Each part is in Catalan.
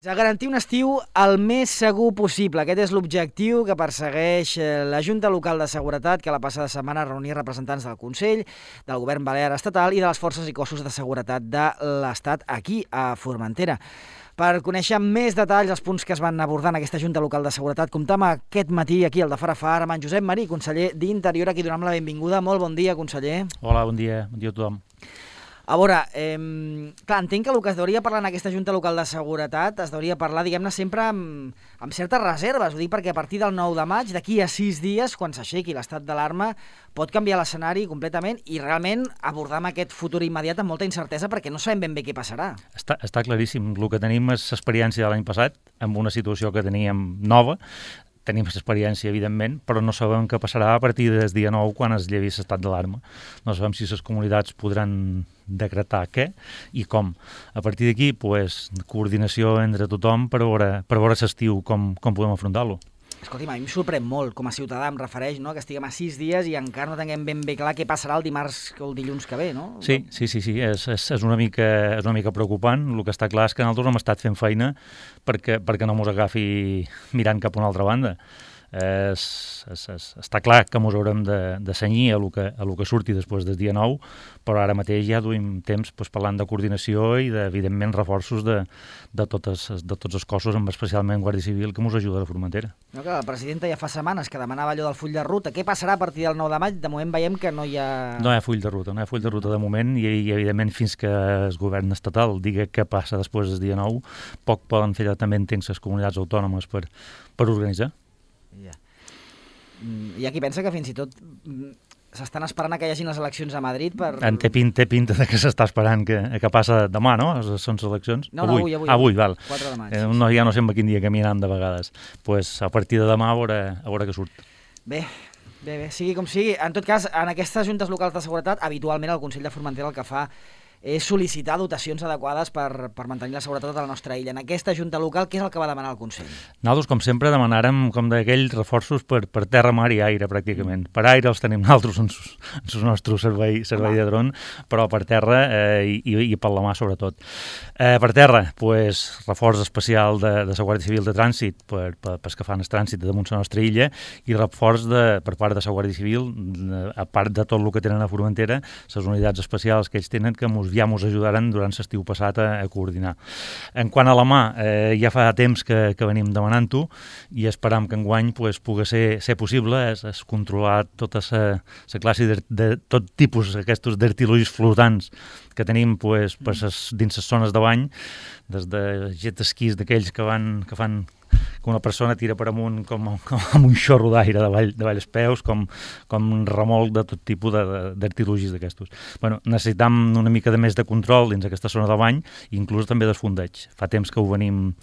De garantir un estiu el més segur possible. Aquest és l'objectiu que persegueix la Junta Local de Seguretat, que la passada setmana reunia representants del Consell, del Govern Balear Estatal i de les forces i cossos de seguretat de l'Estat aquí, a Formentera. Per conèixer amb més detalls els punts que es van abordar en aquesta Junta Local de Seguretat, comptam aquest matí aquí al de Far a Far amb en Josep Marí, conseller d'Interior, a qui donem la benvinguda. Molt bon dia, conseller. Hola, bon dia a tothom. A veure, clar, entenc que el que es deuria parlar en aquesta Junta Local de Seguretat es deuria parlar, diguem-ne, sempre amb certes reserves. Ho dic perquè a partir del 9 de maig, d'aquí a 6 dies, quan s'aixequi l'estat d'alarma, pot canviar l'escenari completament i realment abordar amb aquest futur immediat amb molta incertesa perquè no sabem ben bé què passarà. Està claríssim. El que tenim és experiència de l'any passat, amb una situació que teníem nova. Tenim experiència, evidentment, però no sabem què passarà a partir del dia 9 quan es llevi l'estat d'alarma. No sabem si les comunitats podran decretar què i com. A partir d'aquí, coordinació entre tothom per veure l'estiu com podem afrontar-lo. Escolti'm, a mi em sorprèn molt, com a ciutadà em refereix, no?, que estiguem a 6 dies i encara no tinguem ben bé clar què passarà el dimarts o el dilluns que ve, no? Sí, és una mica preocupant. El que està clar és que nosaltres hem estat fent feina perquè no mos agafi mirant cap a una altra banda. Està clar que ens haurem de cenyir a lo que surti després del dia 9, però ara mateix ja duim temps parlant de coordinació i evidentment reforços de tots els cossos, especialment Guàrdia Civil, que ens ajuda a la Formentera. No, que la presidenta ja fa setmanes que demanava allò del full de ruta. Què passarà a partir del 9 de maig? De moment veiem que no hi ha... No hi ha full de ruta de moment i evidentment fins que el govern estatal digui què passa després del dia 9, poc poden fer també entenc les comunitats autònomes per organitzar. Ja. Hi ha qui pensa que fins i tot s'estan esperant que hi hagin les eleccions a Madrid per... Té pinta de que s'està esperant que passa demà, no? Són les eleccions? No, avui, val. 4 de maig. Ja no sé en quin dia caminam de vegades. A partir de demà a veure què surt. Bé, sigui com sigui. En tot cas, en aquestes juntes locals de seguretat, habitualment el Consell de Formentera el que fa és sol·licitar dotacions adequades per mantenir la seguretat de la nostra illa. En aquesta junta local, què és el que va demanar el Consell? Nosaltres, com sempre, demanàrem com d'aquells reforços per terra, mar i aire, pràcticament. Per aire els tenim nosaltres en el nostre servei de dron, però per terra i per la mà, sobretot. Per terra, reforç especial de la Guàrdia Civil de Trànsit pels que fan el trànsit damunt la nostra illa i reforç per part de la Guàrdia Civil, a part de tot el que tenen a Formentera, les unitats especials que ells tenen que ja ens ajudaran durant l'estiu passat a coordinar. En quant a la mà, ja fa temps que venim demanant-ho i esperam que enguany pugui ser possible és controlar tota la classe de tot tipus aquests d'artilogis flotants que tenim dins les zones de bany, des de jet esquís d'aquells que fan que una persona tira per amunt com amb un xorro d'aire davall els peus, com un remolc de tot tipus d'artilogis d'aquestos. Necessitam una mica de més de control dins aquesta zona de bany, inclús també dels fondeig. Fa temps que ho venim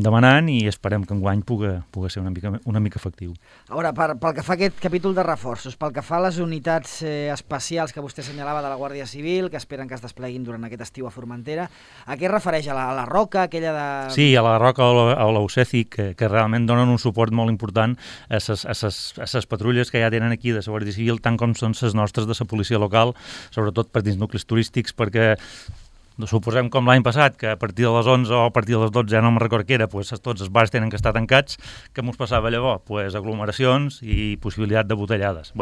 demanant i esperem que enguany pugui ser una mica efectiu. A veure, pel que fa a aquest capítol de reforços, pel que fa a les unitats especials que vostè assenyalava de la Guàrdia Civil, que esperen que es despleguin durant aquest estiu a Formentera, a què es refereix? A la Roca, aquella de... Sí, a la Roca o a l'Oceci, que realment donen un suport molt important a les patrulles que ja tenen aquí de la Guàrdia Civil, tant com són les nostres de la policia local, sobretot per dins nuclis turístics, perquè suposem com l'any passat, que a partir de les 11 o a partir de les 12, ja no me'n record què era, tots els bars tenen que estar tancats, què ens passava llavors? Aglomeracions i possibilitat de botellades.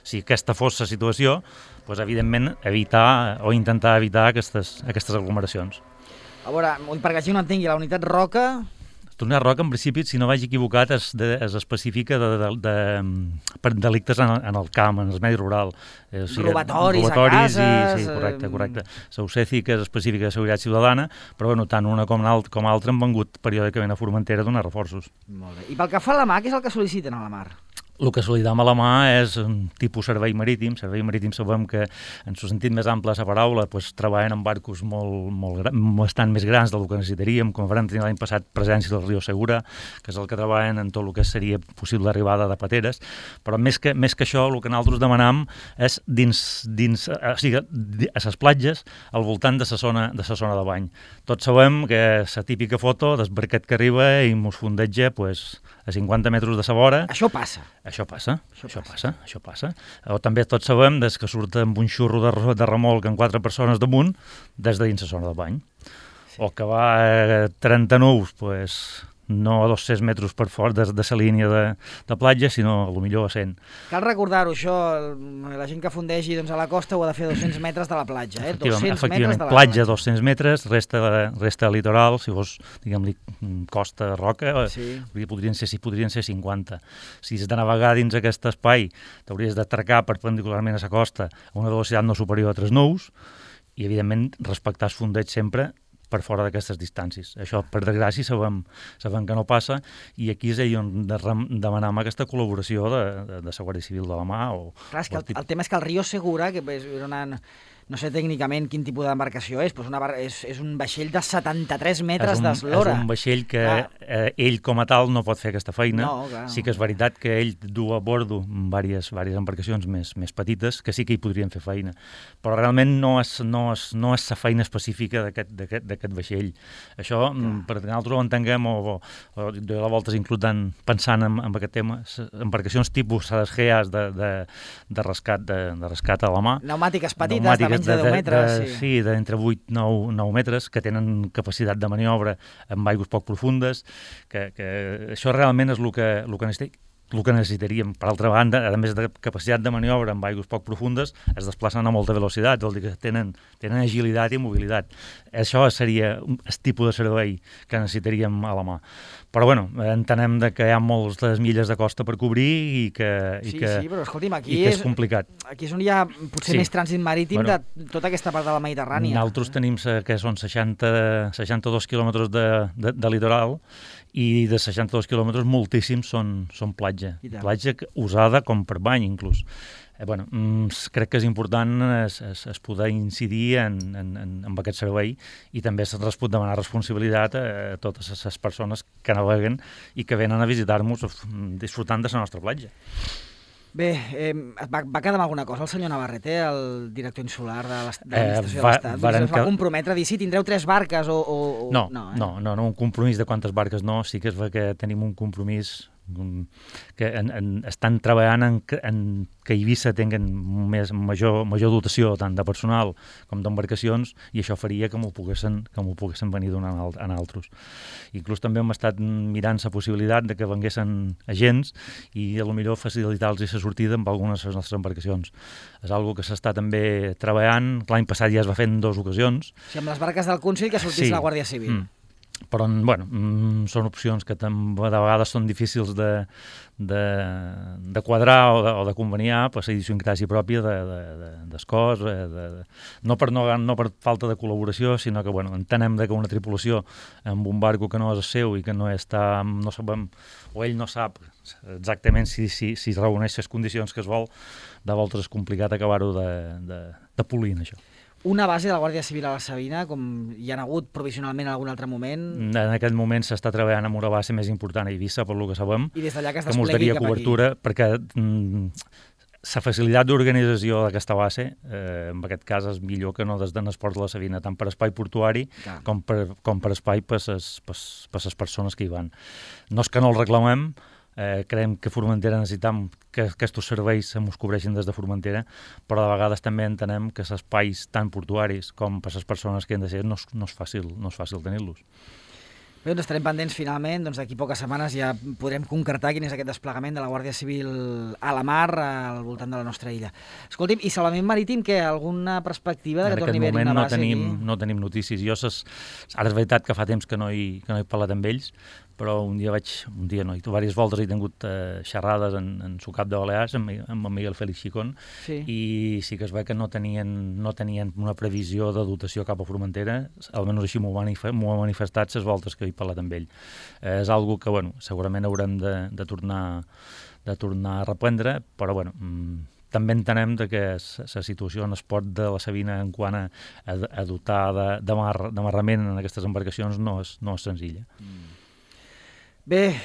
Si aquesta fos la situació, evidentment evitar o intentar evitar aquestes aglomeracions. A veure, perquè així no entengui, la unitat Roca... La Roca, en principi, si no vaig equivocat, es especifica per delictes en el camp, en el medi rural. Robatoris a cases... Sí, correcte. L'Oceci, que és específica de seguretat ciutadana, però tant una com l'altra han vengut periòdicament a Formentera a donar reforços. Molt bé. I pel que fa a la mà, què és el que sol·liciten a la mar? El que sol·licitam a la mà és un tipus servei marítim. Servei marítim sabem que, en el sentit més ample de la paraula, treballen amb barcos bastant més grans del que necessitaríem, com vam tenir l'any passat presència del riu Segura, que és el que treballen en tot el que seria possible arribada de pateres. Però més que això, el que nosaltres demanam és a les platges, al voltant de la zona de bany. Tots sabem que la típica foto del barquet que arriba i mos fondeja a 50 metres de sa vora. Això passa. Això passa. O també tots sabem que surt amb un xurro de remolc amb 4 persones damunt des de dins la zona de bany. o que va a 30 nous, pues, no a 200 metres per fora de la línia de platja, sinó a lo millor a 100. Cal recordar-ho, això, la gent que fundegi doncs, a la costa ho ha de fer a 200 metres de la platja, 200 metres de la platja 200 metres, resta litoral, si fos, diguem-li, costa, roca, sí. podrien ser 50. Si has de navegar dins aquest espai, t'hauries d'atracar perpendicularment a la costa a una velocitat no superior a 3 nous i, evidentment, respectar el fondeig sempre per fora d'aquestes distàncies. Això, per desgràcia, sabem que no passa i aquí és on demanem aquesta col·laboració de la Guàrdia Civil de la mà. Clar, és que el tema és que el Río Segura, que és no sé tècnicament quin tipus d'embarcació és, però és un vaixell de 73 metres d'eslora. És un vaixell que ell com a tal no pot fer aquesta feina. Sí que és veritat que ell du a bordo diverses embarcacions més petites que sí que hi podrien fer feina, però realment no és la feina específica d'aquest vaixell. Això, perquè nosaltres ho entenguem, o jo a voltes inclús pensant en aquest tema, embarcacions tipus les GEAs de rescat a la mà. Pneumàtiques petites, de menys de 10 metres. Sí, d'entre 8 i 9 metres, que tenen capacitat de maniobra en aigües poc profundes, que això realment és el que necessitaríem. Per altra banda, a més de capacitat de maniobra en aigües poc profundes, es desplacen a molta velocitat, vol dir que tenen agilitat i mobilitat. Això seria el tipus de servei que necessitaríem a la mà. Però, bueno, entenem que hi ha moltes milles de costa per cobrir i que però escolti'm, aquí és complicat. Aquí és on hi ha potser més trànsit marítim de tota aquesta part de la Mediterrània. Nosaltres tenim que són 62 quilòmetres de litoral i de 62 quilòmetres moltíssims són platja. Platja usada com per bany, inclús. Crec que és important es poder incidir en aquest servei i també es pot demanar responsabilitat a totes les persones que naveguen i que venen a visitar-nos disfrutant de la nostra platja. Bé, va quedar amb alguna cosa el senyor Navarrete, el director insular de l'Administració de l'Estat? Es va comprometre a dir, sí, tindreu 3 barques o... No, un compromís de quantes barques no, sí que és que tenim un compromís que estan treballant en que Eivissa tinguen major dotació tant de personal com d'embarcacions i això faria que m'ho poguessin venir donant a altres. Inclús també hem estat mirant la possibilitat de que venguessin agents i potser facilitar-los la sortida amb algunes de les nostres embarcacions. És una cosa que s'està també treballant. L'any passat ja es va fer en 2 ocasions. O sigui, amb les barques del Consell que sortís la Guàrdia Civil. Però, són opcions que de vegades són difícils de quadrar o de conveniar per la idiosincràsia pròpia del cos, no per falta de col·laboració, sinó que entenem que una tripulació amb un barco que no és seu i que no sabem, o ell no sap exactament si reuneix les condicions que es vol, de voltes és complicat acabar-ho de polir, això. Una base de la Guàrdia Civil a la Sabina, com hi ha hagut provisionalment en algun altre moment? En aquest moment s'està treballant amb una base més important a Eivissa, per lo que sabem, i des d'allà que es desplegui cap cobertura, aquí. Perquè la facilitat d'organització d'aquesta base, en aquest cas, és millor que no des de l'esport de la Sabina, tant per espai portuari com per espai per les persones que hi van. No és que no el reclamem, creiem que Formentera necessitam que aquests serveis ens cobreixin des de Formentera, però de vegades també entenem que els espais tant portuaris com per les persones que han de ser no és fàcil tenir-los. Bé, doncs estarem pendents finalment, d'aquí poques setmanes ja podrem concretar quin és aquest desplegament de la Guàrdia Civil a la mar al voltant de la nostra illa. Escolti'm, i salvament marítim, què? Alguna perspectiva de que torni a haver-hi una base aquí? No tenim notícies. Ara és veritat que fa temps que no he parlat amb ells, però diverses voltes he tingut xerrades en su cap de Balears amb en Miguel Félix Chicón, i sí que es veu que no tenien una previsió de dotació cap a Formentera, almenys així m'ho ha manifestat les voltes que he parlat amb ell. És algo que segurament haurem de tornar a reprendre, però també entenem que la situació en el port de la Sabina en quant a dotar d'amarrament en aquestes embarcacions no és senzilla. Bé,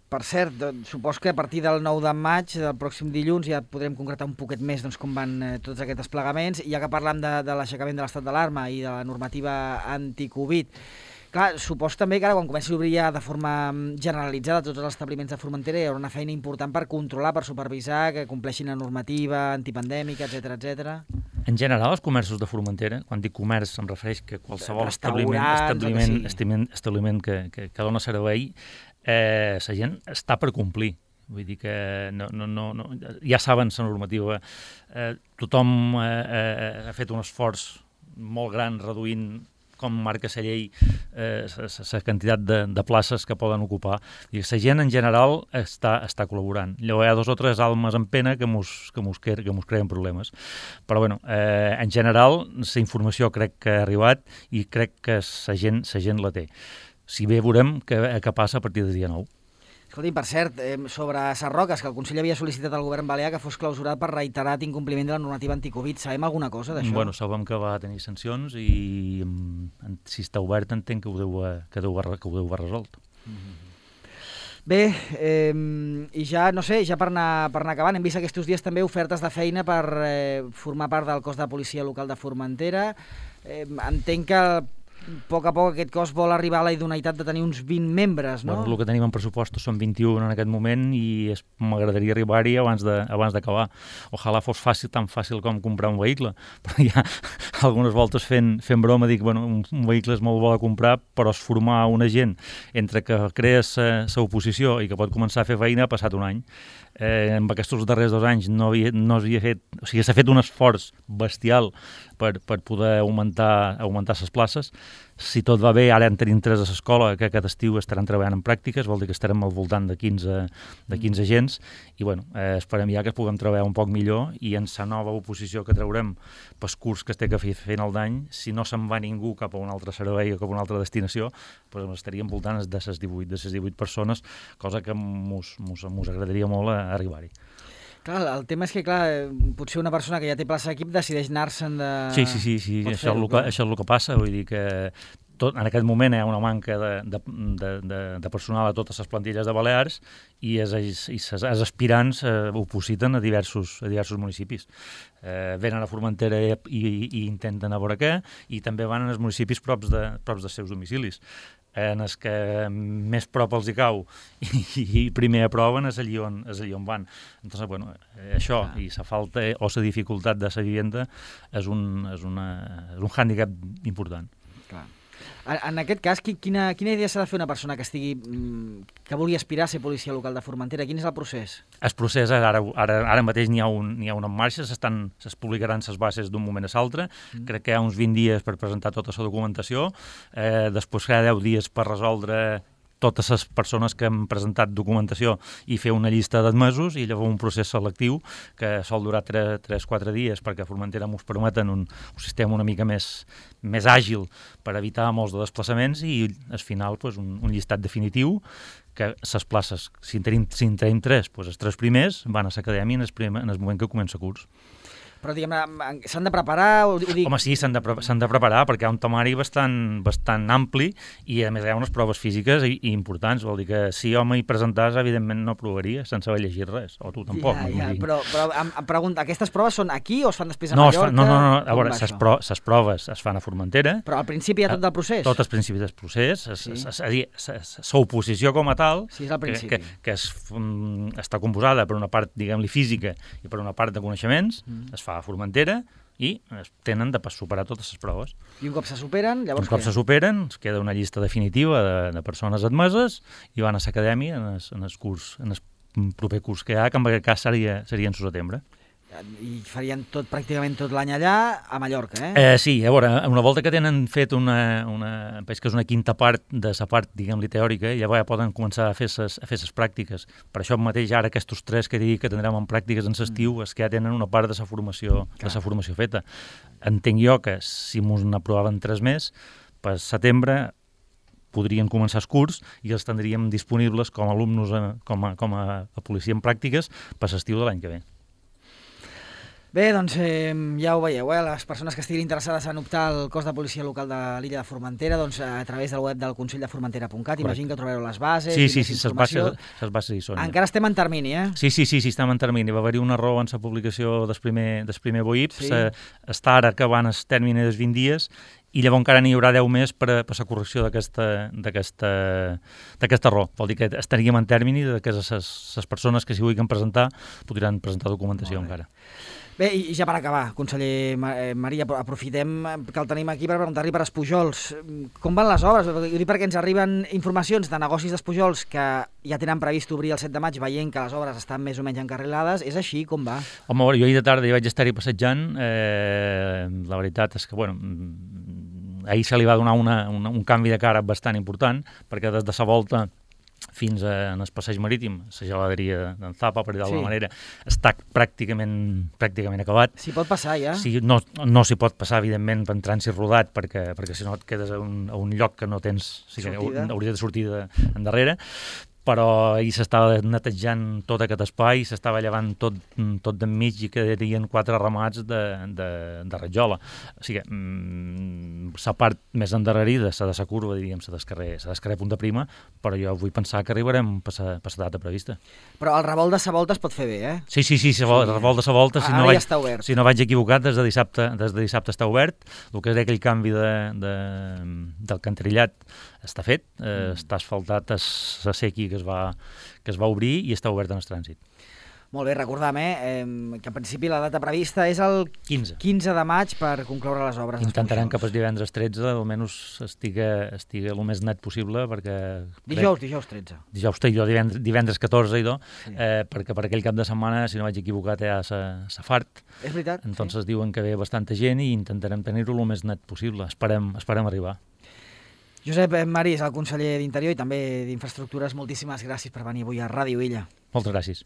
per cert, supos que a partir del 9 de maig, del pròxim dilluns, ja podrem concretar un poquet més com van tots aquests desplegaments, i ja que parlam de l'aixecament de l'estat d'alarma i de la normativa anti-Covid. Clar, supos també que ara quan comenci a obrir ja de forma generalitzada tots els establiments de Formentera hi haurà una feina important per controlar, per supervisar que compleixin la normativa antipandèmica, etcètera. En general, els comerços de Formentera, quan dic comerç em refereix que qualsevol establiment que dona servei, la gent està per complir. Vull dir que ja saben la normativa. Tothom ha fet un esforç molt gran reduint, com marca la llei, la quantitat de places que poden ocupar. La gent en general està col·laborant. Llavors hi ha 2 o 3 almes en pena que mos creen problemes. Però bueno, en general la informació crec que ha arribat i crec que la gent la té. Si bé veurem què passa a partir del dia 9. Escolti, per cert, sobre Sarroques, que el Consell havia sol·licitat al govern balear que fos clausurat per reiterat incompliment de la normativa anticovid. Sabem alguna cosa d'això? Bueno, sabem que va tenir sancions i si està obert entenc que ho deu haver resolt. Bé, i ja, no sé, ja per anar acabant, hem vist aquests dies també ofertes de feina per formar part del cos de policia local de Formentera. Entenc que a poc aquest cos vol arribar a la idoneïtat de tenir uns 20 membres, no? Bueno, el que tenim en pressupostos són 21 en aquest moment i m'agradaria arribar-hi abans d'acabar. Ojalà fos tan fàcil com comprar un vehicle, però ja algunes voltes fent broma dic, bueno, un vehicle és molt bo de comprar, però es formar una gent entre que crees la oposició i que pot començar a fer feina ha passat un any. En aquests darrers 2 anys no s'havia fet, o sigui, s'ha fet un esforç bestial per poder augmentar les places. Si tot va bé, ara en tenim 3 a l'escola, que aquest estiu estaran treballant en pràctiques, vol dir que estarem al voltant de 15 agents, i bueno, esperem ja que puguem treballar un poc millor, i en la nova oposició que traurem pel curs que es té que fer final d'any, si no se'n va ningú cap a un altre servei o cap a una altra destinació, doncs estaríem voltant de les 18 persones, cosa que mos agradaria molt arribar-hi. Clar, el tema és que, potser una persona que ja té plaça d'equip decideix anar-se'n de... Sí, això és el que passa, vull dir que en aquest moment hi ha una manca de personal a totes les plantilles de Balears i els aspirants ho positen a diversos municipis. Venen a Formentera i intenten a veure què, i també van als municipis props dels seus domicilis. En els que més prop els hi cau i primer aproven és allí on van. Entonces, bueno, això i la falta o la dificultat de la vivenda és un hàndicap important. Clar. En aquest cas, quina idea s'ha de fer una persona que vulgui aspirar a ser policia local de Formentera? Quin és el procés? El procés, ara mateix n'hi ha un en marxa, es publicaran les bases d'un moment a l'altre. Crec que hi ha uns 20 dies per presentar tota la documentació, després hi ha 10 dies per resoldre totes les persones que han presentat documentació i fer una llista d'admesos, i llavors un procés selectiu que sol durar 3-4 dies perquè a Formentera ens permeten un sistema una mica més àgil per evitar molts de desplaçaments, i al final un llistat definitiu que les places, si en tenim 3, els 3 primers van a l'acadèmia en el moment que comença el curs. Però, s'han de preparar? Home, sí, s'han de preparar perquè hi ha un temari bastant ampli i, a més, hi ha unes proves físiques i importants. Vol dir que si jo m'hi presentàs, evidentment no provaria sense haver llegit res, o tu tampoc. Però em pregunto, aquestes proves són aquí o es fan després a Mallorca? No. A veure, les proves es fan a Formentera. Però al principi hi ha tot del procés? Tot al principi del procés. És a dir, l'oposició com a tal, que està composada per una part, diguem-li, física i per una part de coneixements, es fa a Formentera i tenen de superar totes les proves. I un cop se superen, llavors què? Un cop se superen, es queda una llista definitiva de persones admeses i van a l'acadèmia en el proper curs que hi ha, que en aquest cas seria en setembre. I farien pràcticament tot l'any allà, a Mallorca, eh? Sí, a veure, una volta que tenen fet penso que és una quinta part de la part, diguem-li, teòrica, llavors ja poden començar a fer les pràctiques. Per això mateix ara aquests 3 que dic que tindrem en pràctiques en l'estiu és que ja tenen una part de la formació feta. Entenc jo que si mos n'aprovaven 3 més, per setembre podrien començar els curs i els tindríem disponibles com a alumnes, com a policia en pràctiques per l'estiu de l'any que ve. Bé, doncs ja ho veieu, les persones que estiguin interessades en optar al cos de policia local de l'illa de Formentera, doncs a través del web del Consell de Formentera.cat, imagino que trobareu les bases. Sí, les bases hi són. Encara estem en termini, eh? Sí, estem en termini. Va haver-hi un error en la publicació del primer BOIP, està ara acabant el termini dels 20 dies, i llavors encara n'hi haurà 10 més per la correcció d'aquest error. Vol dir que estaríem en termini que les persones que s'hi vulguin presentar podran presentar documentació encara. Bé, i ja per acabar, conseller Maria, aprofitem que el tenim aquí per preguntar-li per Espujols. Com van les obres? Ho dic perquè ens arriben informacions de negocis d'Espujols que ja tenen previst obrir el 7 de maig, veient que les obres estan més o menys encarrilades. És així? Com va? Home, jo ahir de tarda ja vaig estar-hi passejant. La veritat és que, ahir se li va donar un canvi de cara bastant important, perquè des de sa volta fins en el passeig marítim, la geladeria d'en Zapa, per dir d'alguna manera, està pràcticament acabat. S'hi pot passar, ja? Sí, no s'hi pot passar, evidentment, en trànsit rodat, perquè si no et quedes a un lloc que no tens... O sigui, hauria de sortir endarrere, però ahir s'estava netejant tot aquest espai, s'estava llevant tot d'enmig i quedarien 4 ramats de rajola. O sigui, la part més endarrerida, la de la curva, diríem, la d'escarrer Punta Prima, però jo vull pensar que arribarem per la data prevista. Però el revolt de sa volta es pot fer bé, eh? Sí, el revolt de sa volta, ara ja està obert. Si no vaig equivocat, des de dissabte està obert. El que és aquell canvi del canterillat està fet, està asfaltat, la sequi que es va obrir i està obert en el trànsit. Molt bé, recordam, que en principi la data prevista és el 15 de maig per concloure les obres. Intentarem que per divendres 13 almenys estigui el més net possible, perquè... Dijous 13. Dijous, divendres 14, perquè per aquell cap de setmana, si no vaig equivocat, hi ha la fart. És veritat. Entonces diuen que ve bastanta gent i intentarem tenir-ho el més net possible. Esperem arribar. Josep Marí és el conseller d'Interior i també d'Infraestructures. Moltíssimes gràcies per venir avui a Ràdio Illa. Moltes gràcies.